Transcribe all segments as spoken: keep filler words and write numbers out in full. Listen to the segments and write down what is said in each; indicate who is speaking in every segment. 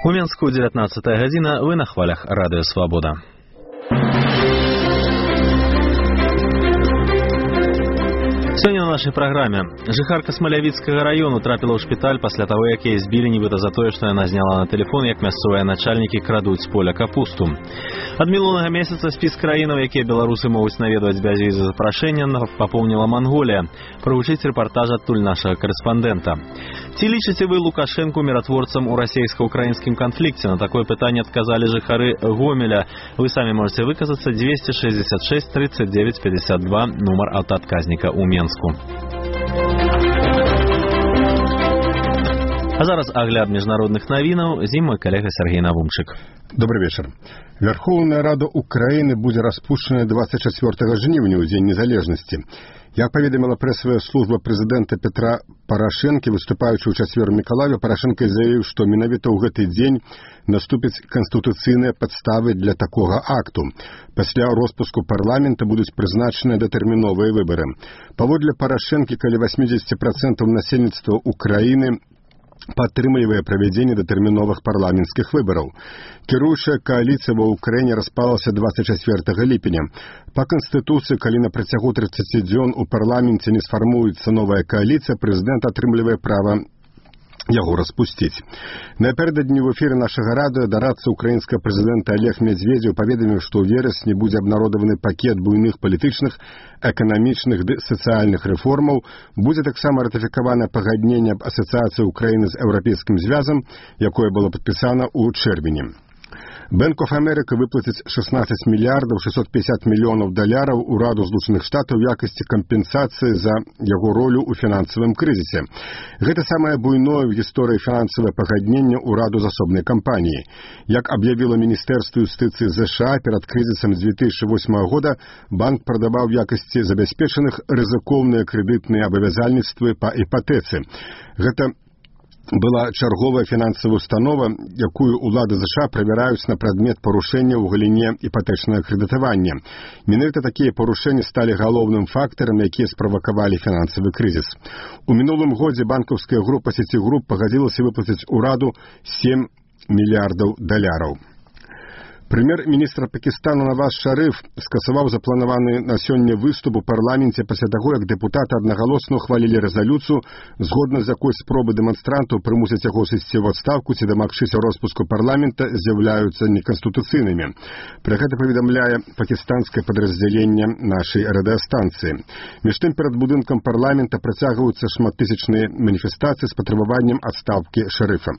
Speaker 1: У Менску дзевятнаццатая гадзіна, вы на хвалях радыё Свабода. Сёння на нашай праграме. Жыхарка Смалявіцкага раёну трапіла ў шпіталь пасля таго, як яе збілі нібыта за тое, што яна зняла на тэлефон, як мясцовыя начальнікі крадуць з поля капусту. Ад мінулага месяца спіс краінаў, якія беларусы могуць наведваць без візы запрашэння, папоўніла Манголія. Прагучыць рэпартаж адтуль нашага карэспандэнта. Ці лічыце вы Лукашэнку міратворцам у расейска-украінскім канфлікце? На такое пытанне адказалі жыхары Гомеля. Вы самі можете выказацца. Двести шестьдесят шесть тридцать девять пятьдесят два, нумар аўтаадказніка ў Менску. А зараз агляд міжнародных навінаў. З ім мой калега Сергей Навумчык.
Speaker 2: Добрый вечер. Верховная Рада Украины будет распущена двадцать четвёртага жніўня, у День незалежности. Як паведаміла прэсавая служба прэзідэнта Петра Парашэнкі, выступаючы ў чацвер у Мікалаеве, Парашэнка заявіў, што менавіта ў гэты дзень наступяць канстытуцыйныя падставы для такога акту. Пасля роспуску парламента будуць прызначаныя датэрміновыя выбары. Паводле Парашэнкі, каля восемьдесят процентов насельніцтва Украіны падтрымлівае правядзенне датэрміновых парламенцкіх выбараў. Кіруючая кааліцыя ва Ўкраіне распалася двадцать четвёртага ліпеня. Па Канстытуцыі, калі на працягу тридцати дзён у парламенце не сфармуецца новая кааліцыя, прэзідэнт атрымлівае права яго распусціць. Напярэдадні ў эфіры нашага радыё дарадца украінскага прэзідэнта Олег Медведзеў паведаміў, што ў верасні будзе абнародаваны пакет буйных палітычных, эканамічных ды сацыяльных рэформаў, будзе таксама ратыфікавана пагадненне аб асацыяцыі Украіны з Еўрапейскім звязам, якое было падпісана ў чэрвені. Bank of America выплаціць шестнадцать мільярдаў шестьсот пятьдесят мільёнаў даляраў ураду Злучаных Штатаў у якасці кампенсацыі за яго ролю ў фінансавым крызісе. Гэта самае буйное ў гісторыі фінансавае пагадненне ўраду з асобнай кампаніі. Як аб'явіла Міністэрства юстыцыі ЗША, перад крызісам две тысячи восьмого года банк прадаваў в якасці забяспечаных рызыкоўныя крэдытныя абавязальніцтвы па іпатэцы. Гэта была чарговая фінансавая установа, якую улады ЗША правяраюць на прадмет парушэння ў галіне іпатэчнага крэдытавання. Менавіта такія парушэнні сталі галоўным фактарам, якія справакавалі фінансавы крызіс. У мінулым годзе банкаўская група Сіцігруп пагадзілася выплаціць ураду сем мільярдаў даляраў. Прэм'ер-міністр Пакістану Наваз Шарыф скасаваў запланаваны на сёння выступ у парламенце пасля таго, як дэпутаты аднагалосна ухвалілі рэзалюцыю, згодна з якой спробы дэманстрантаў прымусіць яго сысці ў адстаўку ці дамагчыся роспуску парламента з'яўляюцца неканстытуцыйнымі. Пра гэта паведамляе пакістанскае падраздзяленне нашай радыёстанцыі. Між тым, перад будынкам парламента працягваюцца шматтысячныя маніфестацыі з патрабаваннем адстаўкі Шарыфа.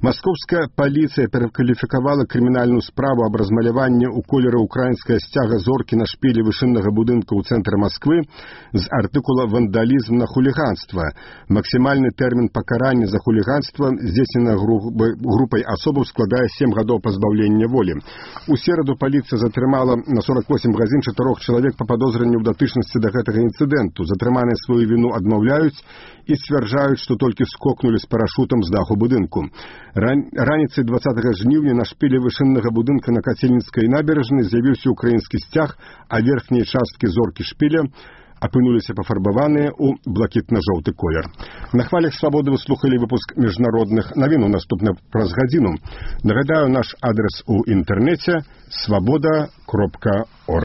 Speaker 2: Маскоўская паліцыя перакваліфікавала крымінальную справу аб размаляванні ў колеры украінская сцяга зоркі на шпілі вышыннага будынка ў цэнтры Масквы з артыкула «Вандалізм на хуліганства». Максімальны тэрмін пакарання за хуліганства, здзейснена групай асобаў, складае сем гадоў пазбаўлення волі. У сераду паліцыя затрымала на сорок восемь гадзін чатырох чалавек па падозрэнні ў датычнасці да гэтага інцыдэнту. Затрыманыя сваю віну адмаўляюць і сцвярджаюць, што толькі скокнулі з парашутам з даху будынку. Раніцай двадцатага жніўня на шпілі вышыннага будынка на Кацельніцкай набярэжнай з'явіўся украінскі сцяг, а верхнія часткі зоркі шпіля апынуліся пафарбаваныя ў блакітна-жоўты колер. На хвалях Свабоды вы слухалі выпуск міжнародных навін. Наступна праз гадзіну. Нагадаю, наш адрес у інтэрнэце свабода кропка орг.